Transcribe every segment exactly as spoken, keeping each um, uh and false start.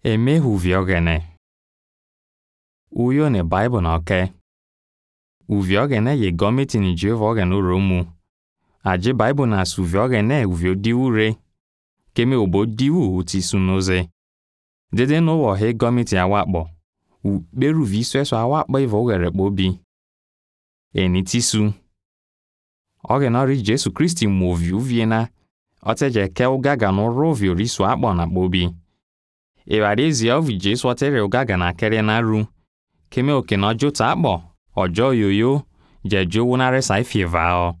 Emehuviogene. Uyo ne Bible na oke. Uviogene ye gomiti ni Jehovogene uromu. Aje Bible na suviogene uvio diure. Keme obo diu uti sunoze. Dede no wo he gomiti awakbo. U beru viswe so awakbo ivogere bobi. Eni tisu. Oge na ri Jesu Christi movi uviena. Oteje ke ugaga no rovio risu akbo na bobi. Ewarezi ovi Jesu otere ugaga na kere na ru. Keme oke na jota akbo. Ojo yoyo. Jejo wunare saifivao.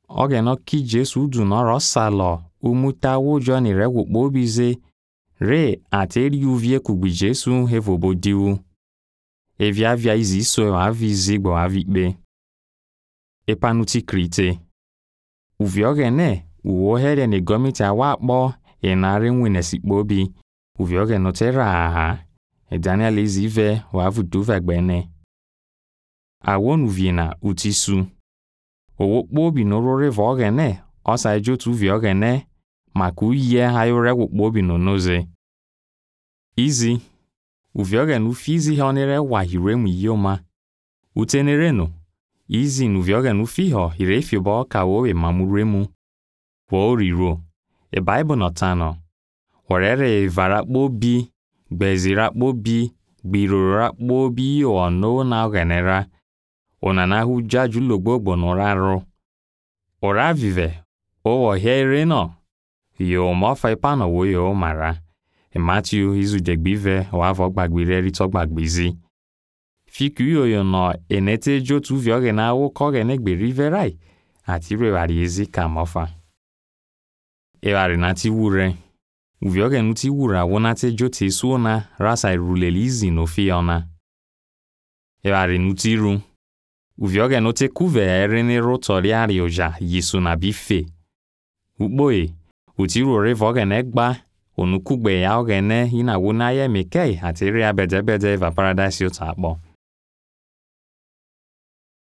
Oge no ki Jesu du no rosalo. Umuta wujo ni rewu bobize. Re ateri uvie kugbi Jesu hevobo diu. Evia via izi so avi zigbo avikbe. Epanuti krite. Uviogene uwohere ne gomiti awakbo enare nwine sikbobi. Uviogene tera aha. E Daniel izive wavu duvegbene. Awon uviena utisu. Owokbobi norore vogene. Osa ejotu uviogene. Maku ye hayore wokbobi no noze. Izi. Uviogene ufizi honere wahiremu yoma. Utenereno. Izi nuviogene ufiho hirefiobo kawowe mamuremu. Wo riro. E Bible notano. Warere varakbobi. Gbezirakbobi. Gbirorakbobi ono na ogenera. Onanahu jaju logbogbo noraro. Ora vive. Owo here no. Yo mofa ipano wo yo mara. E Matthew izu degbive wavo gbagbire rito gbagbizi. Fiku yo no enete jotu vioge na wo koge negbe riverai. Ati rewari ezi ka mofa. Ewari nati wure. Uvioge nuti wura wonate jote suona rasa irulelizi no fiona. Ewari nuti ru. Uvioge note kuve erene rotoriari oja yisu na bife. Ukboe. Utiru revoge negba. Onukugbe ya ogene ina wunaye mekei atiri abedebede eva paradise yotakbo.